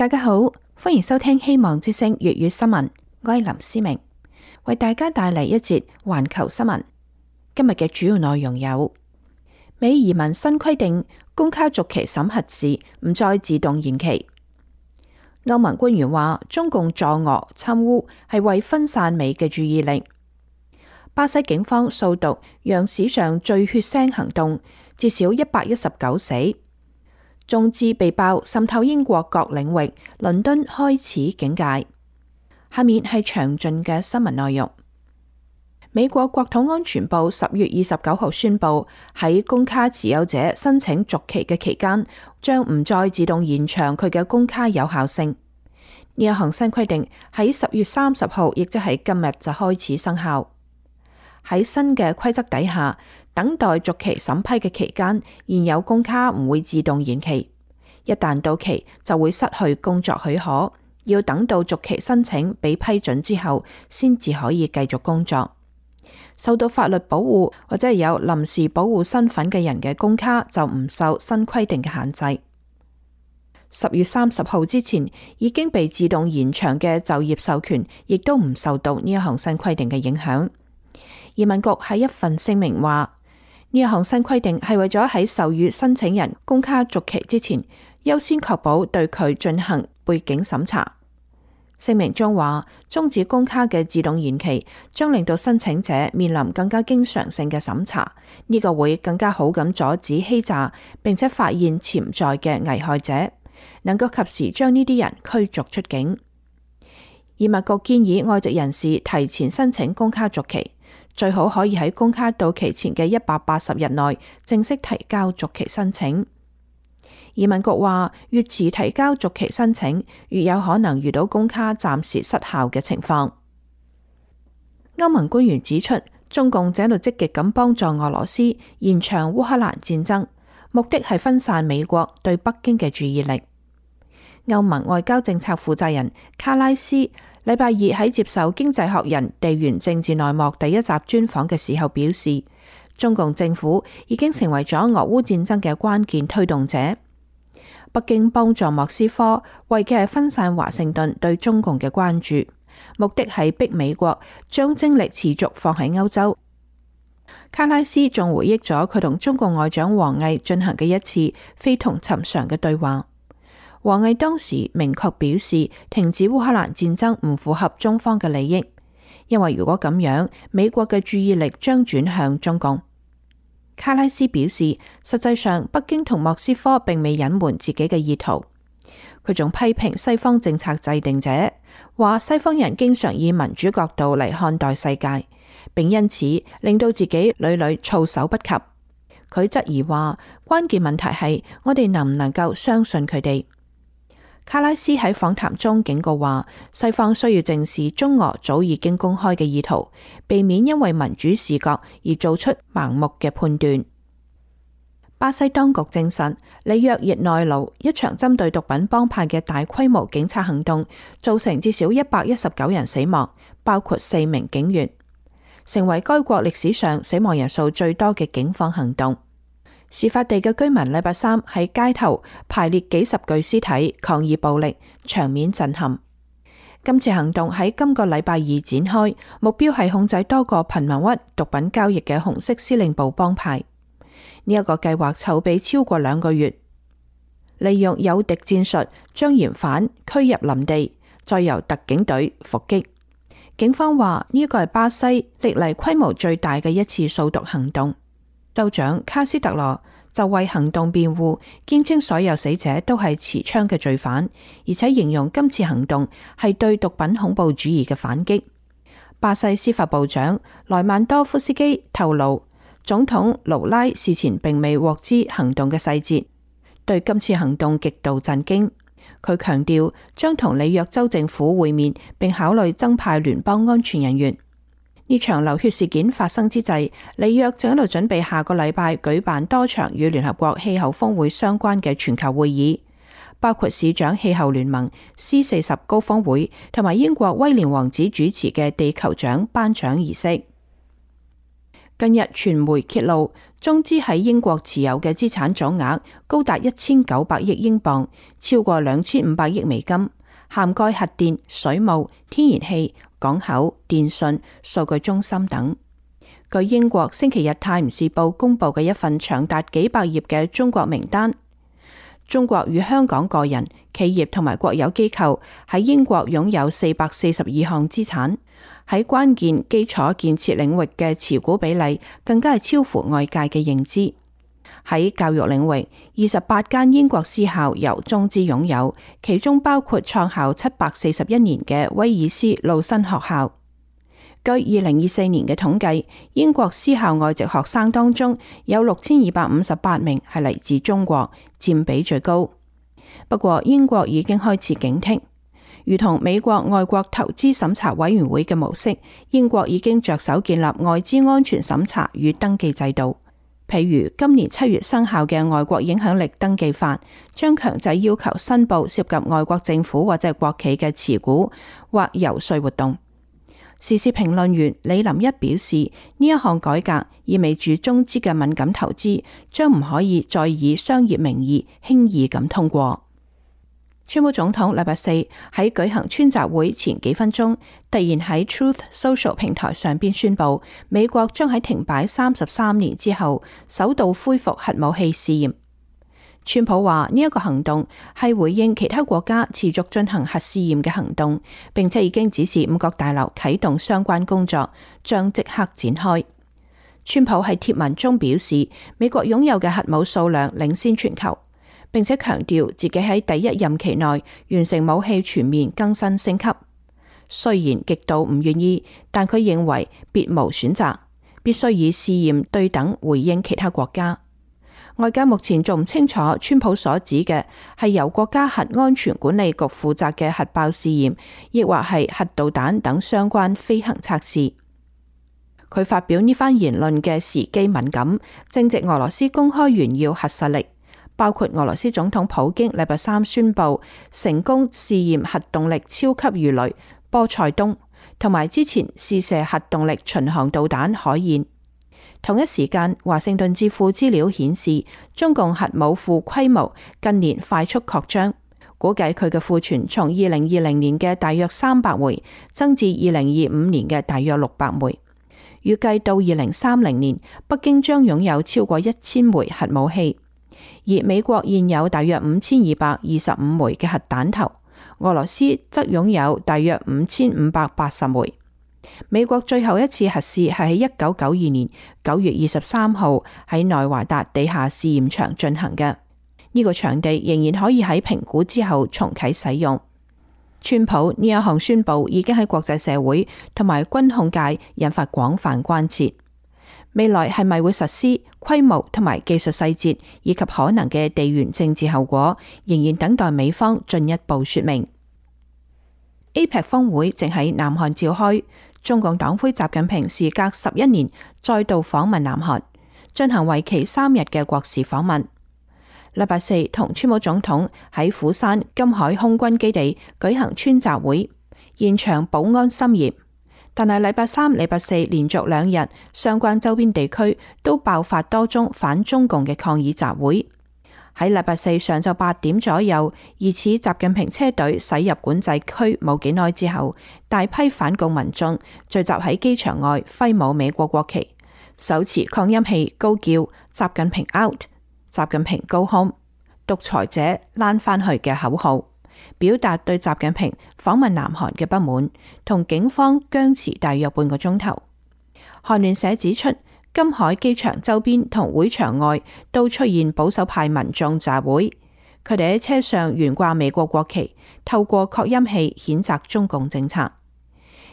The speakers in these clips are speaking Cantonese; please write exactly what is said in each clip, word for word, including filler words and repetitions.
大家好，歡迎收聽希望之聲粵語新聞，我係林思明，為大家帶嚟一節環球新聞。今日嘅主要內容有：美移民新規定，公卡續期審核時唔再自動延期。歐盟官員話，中共助俄參烏係為分散美嘅注意力。巴西警方掃毒，讓史上最血腥行動，至少一百一十九死。中資被爆滲透英國各領域，倫敦開始警戒。下面係詳盡嘅新聞內容。美國國土安全部十月二十九號宣布，喺公卡持有者申請續期嘅期間，將唔再自動延長佢嘅公卡有效性。呢一項新規定喺十月三十號，亦即係今日就開始生效。喺新嘅規則底下，等待續期審批嘅期間，現有公卡唔會自動延期。一旦到期，就會失去工作許可，要等到續期申請被批准之後，先至可以繼續工作。受到法律保護或者係有臨時保護身份嘅人嘅公卡就唔受新規定嘅限制。十月三十號之前已經被自動延長嘅就業授權，亦都唔受到呢一項新規定嘅影響。移民局喺一份聲明話，呢一項新規定係為咗喺授予申請人公卡續期之前，優先確保對佢進行背景審查。聲明中話，終止公卡嘅自動延期將令到申請者面臨更加經常性嘅審查，呢個會更加好咁阻止欺詐，並且發現潛在嘅危害者，能夠及時將呢啲人驅逐出境。移民局建議外籍人士提前申請公卡續期，最好可以喺公卡到期前嘅一百八十日內正式提交續期申請。移民局話，越遲提交續期申請，越有可能遇到公卡暫時失效嘅情況。歐盟官員指出，中共正喺度積極咁幫助俄羅斯延長烏克蘭戰爭，目的係分散美國對北京嘅注意力。歐盟外交政策負責人卡拉斯禮拜二喺接受《經濟學人》地緣政治內幕第一集專訪嘅時候表示，中共政府已經成為咗俄烏戰爭嘅關鍵推動者。北京幫助莫斯科，為嘅係分散華盛頓對中共嘅關注，目的係逼美國將精力持續放喺歐洲。卡拉斯仲回憶咗佢同中國外長王毅進行嘅一次非同尋常嘅對話。王毅當時明確表示，停止烏克蘭戰爭唔符合中方嘅利益，因為如果咁樣，美國嘅注意力將轉向中共。卡拉斯表示，實際上北京同莫斯科並未隱瞞自己嘅意圖。佢仲批評西方政策制定者，話西方人經常以民主角度嚟看待世界，並因此令到自己屢屢措手不及。佢質疑話，關鍵問題係我哋能唔能夠相信佢哋。卡拉斯喺訪談中警告話，西方需要正視中俄早已經公開嘅意圖，避免因為民主視角而做出盲目嘅判斷。巴西當局證實，里約熱內盧一場針對毒品幫派嘅大規模警察行動，造成至少一百一十九人死亡，包括四名警員，成為該國歷史上死亡人數最多嘅警方行動。事發地嘅居民禮拜三喺街頭排列幾十具屍體抗議暴力，場面震撼。今次行動喺今個禮拜二展開，目標係控制多個貧民窟毒品交易嘅紅色司令部幫派。呢、這、一個計劃籌備超過兩個月，利用誘敵戰術將嫌犯驅入林地，再由特警隊伏擊。警方話呢一個係巴西歷嚟規模最大嘅一次掃毒行動。州長卡斯特羅就為行動辯護，堅稱所有死者都係持槍嘅罪犯，而且形容今次行動係對毒品恐怖主義嘅反擊。巴西司法部長萊曼多夫斯基透露，總統盧拉事前並未獲知行動嘅細節，對今次行動極度震驚。佢強調將同里約州政府會面，並考慮增派聯邦安全人員。呢場流血事件發生之際，里約正喺度準備下個禮拜舉辦多場與聯合國氣候峰會相關嘅全球會議，包括市長氣候聯盟 C 四十高峰會同埋英國威廉王子主持嘅地球獎頒獎儀式。近日傳媒揭露，中資喺英國持有嘅資產總額高達一千九百億英鎊，超過兩千五百億美金，涵蓋核電、水務、天然氣、港口、電信、數據中心等。據英國星期日泰晤士報公布嘅一份長達幾百頁嘅中國名單，中國與香港個人、企業同埋國有機構喺英國擁有四百四十二項資產。喺關鍵基礎建設領域嘅持股比例更加係超乎外界嘅認知。喺教育領域，二十八間英國私校由中資擁有，其中包括創校七百四十一年嘅威爾斯路新學校。據二零二四年嘅統計，英國私校外籍學生當中有六千二百五十八名係嚟自中國，佔比最高。不過英國已經開始警惕。如同美國外國投資審查委員會嘅模式，英國已經着手建立外資安全審查與登記制度。譬如今年七月生效嘅外國影響力登記法，將強制要求申報涉及外國政府或者國企嘅持股或遊說活動。時事評論員李林一表示，呢一項改革意味住中資嘅敏感投資將唔可以再以商業名義輕易咁通過。川普總統禮拜四喺舉行川習會前幾分鐘，突然喺 Truth Social 平台上邊宣布，美國將喺停擺三十三年之後，首度恢復核武器試驗。川普話呢一個行動係回應其他國家持續進行核試驗嘅行動，並且已經指示五角大樓啟動相關工作，將即刻展開。川普喺貼文中表示，美國擁有嘅核武數量領先全球，並且強調自己喺第一任期內完成武器全面更新升級。雖然極度唔願意，但佢認為別無選擇，必須以試驗對等回應其他國家。外界目前仲唔清楚川普所指嘅係由國家核安全管理局負責嘅核爆試驗，亦或係核導彈等相關飛行測試。佢發表呢番言論嘅時機敏感，正值俄羅斯公開炫耀核實力。包括俄羅斯總統普京禮拜三宣布成功試驗核動力超級魚雷波塞冬，同埋之前試射核動力巡航導彈海燕。同一時間，華盛頓智庫資料顯示，中共核武庫規模近年快速擴張，估計佢嘅庫存從二零二零年嘅大約三百枚增至二零二五年嘅大約六百枚。預計到二零三零年，北京將擁有超過一千枚核武器。而美國現有大約五千二百二十五枚嘅核彈頭，俄羅斯則擁有大約五千五百八十枚。美國最後一次核試係喺一九九二年九月二十三號喺內華達地下試驗場進行嘅，呢個場地仍然可以喺評估之後重啟使用。川普呢一項宣布已經喺國際社會同埋軍控界引發廣泛關切。未來係咪會實施、規模同埋技術細節以及可能嘅地緣政治後果，仍然等待美方進一步說明。A P E C 峰會正喺南韓召開，中共黨魁習近平時隔十一年再度訪問南韓，進行為期三日嘅國事訪問。禮拜四同川普總統喺釜山金海空軍基地舉行川習會，現場保安森嚴。但係禮拜三、禮拜四連續兩日，相關周邊地區都爆發多宗反中共嘅抗議集會。喺禮拜四上晝八點左右，疑似習近平車隊駛入管制區冇幾耐之後，大批反共民眾聚集喺機場外揮舞美國國旗，手持擴音器高叫習近平 out、習近平 go home、獨裁者躝返去嘅口號，表達對習近平訪問南韓嘅不滿，同警方僵持大約半個鐘頭。韓聯社指出，金海機場周邊同會場外都出現保守派民眾集會，佢哋喺車上懸掛美國國旗，透過擴音器譴責中共政策。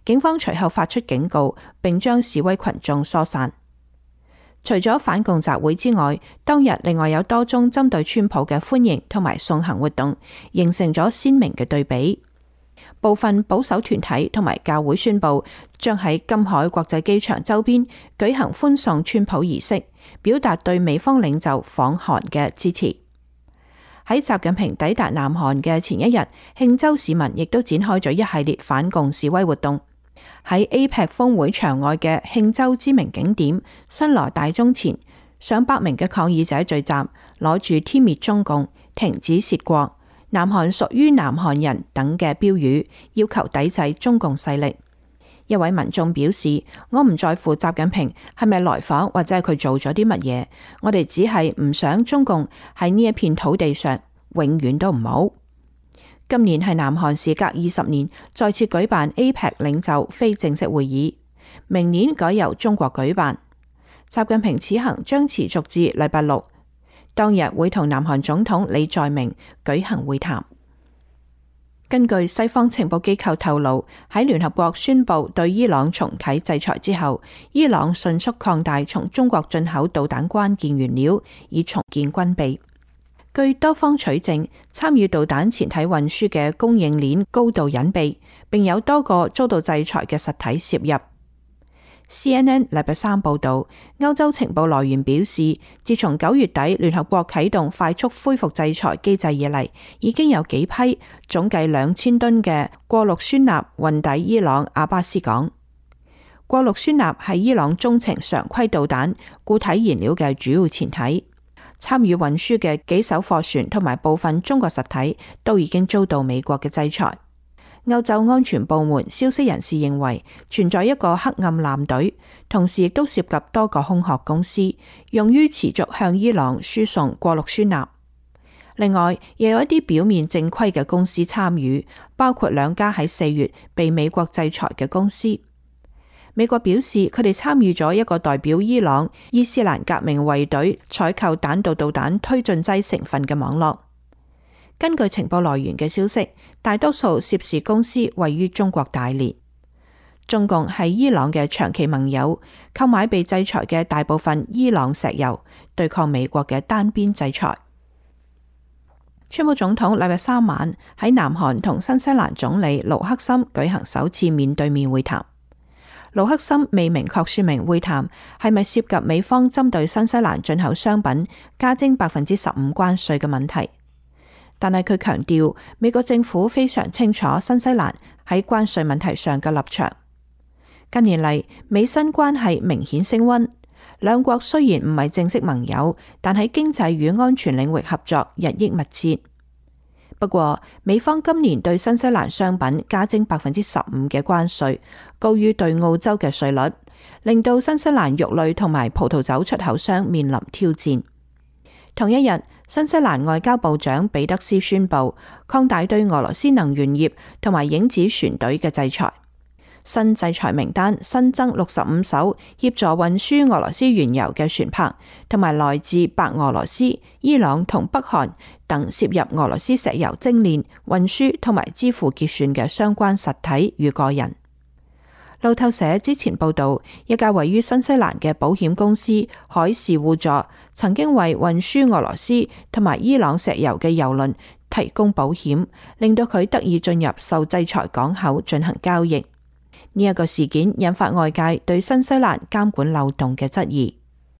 警方隨後發出警告，並將示威群眾疏散。除咗反共集會之外，當日另外有多宗針對川普嘅歡迎同埋送行活動，形成咗鮮明嘅對比。部分保守團體同埋教會宣布將喺金海國際機場周邊舉行歡送川普儀式，表達對美方領袖訪韓嘅支持。喺習近平抵達南韓嘅前一日，慶州市民亦都展開咗一系列反共示威活動。喺 A P E C 峰會場外嘅慶州知名景點新羅大鐘前，上百名嘅抗議者聚集，攞住殲滅中共、停止竊國、南韓屬於南韓人等嘅標語，要求抵制中共勢力。一位民眾表示：我唔在乎習近平係咪來訪或者係佢做咗啲乜嘢，我哋只係唔想中共喺呢一片土地上永遠都唔好。今年係南韓時隔二十年再次舉辦 A P E C 領袖非正式會議，明年改由中國舉辦。習近平此行將持續至禮拜六，當日會同南韓總統李在明舉行會談。根據西方情報機構透露，喺聯合國宣布對伊朗重啟制裁之後，伊朗迅速擴大從中國進口導彈關鍵原料，以重建軍備。據多方取證，參與導彈前體運輸嘅供應鏈高度隱蔽，並有多個遭到制裁嘅實體涉入。C N N 禮拜三報道，歐洲情報來源表示，自從九月底聯合國啟動快速恢復制裁機制以嚟，已經有幾批總計兩千噸嘅過氯酸鈉運抵伊朗阿巴斯港。過氯酸鈉係伊朗中程常規導彈固體燃料嘅主要前體，參與運輸嘅幾艘貨船同埋部分中國實體都已經遭到美國嘅制裁。歐洲安全部門消息人士認為存在一個黑暗艦隊，同時亦都涉及多個空殼公司，用於持續向伊朗輸送過氯酸鈉。另外，又有一啲表面正規嘅公司參與，包括兩家喺四月被美國制裁嘅公司。美國表示佢哋參與咗一個代表伊朗伊斯蘭革命衛隊採購彈道導彈推進劑成分嘅網絡。根據情報來源嘅消息，大多數涉事公司位於中國大連。中共係伊朗嘅長期盟友，購買被制裁嘅大部分伊朗石油，對抗美國嘅單邊制裁。川普總統禮拜三晚喺南韓同新西蘭總理盧克森舉行首次面對面會談。盧克森未明確說明會談係咪涉及美方針對新西蘭進口商品加徵百分之十五關稅嘅問題。但係佢強調，美國政府非常清楚新西蘭喺關稅問題上嘅立場。近年嚟，美新關係明顯升溫，兩國雖然唔係正式盟友，但喺經濟與安全領域合作日益密切。不過，美方今年對新西蘭商品加徵百分之十五嘅關稅，高於對澳洲嘅稅率，令到新西蘭肉類同埋葡萄酒出口商面臨挑戰。同一日，新西蘭外交部長彼得斯宣布擴大對俄羅斯能源業同埋影子船隊嘅制裁。新制裁名單新增六十五艘協助運輸俄羅斯原油嘅船舶，同埋來自白俄羅斯、伊朗同北韓等涉入俄羅斯石油精煉、運輸同埋支付結算嘅相關實體與個人。路透社之前報道，一家位於新西蘭嘅保險公司海事互助曾經為運輸俄羅斯同埋伊朗石油嘅油輪提供保險，令到佢得以進入受制裁港口進行交易。呢一個事件引發外界對新西蘭監管漏洞嘅質疑。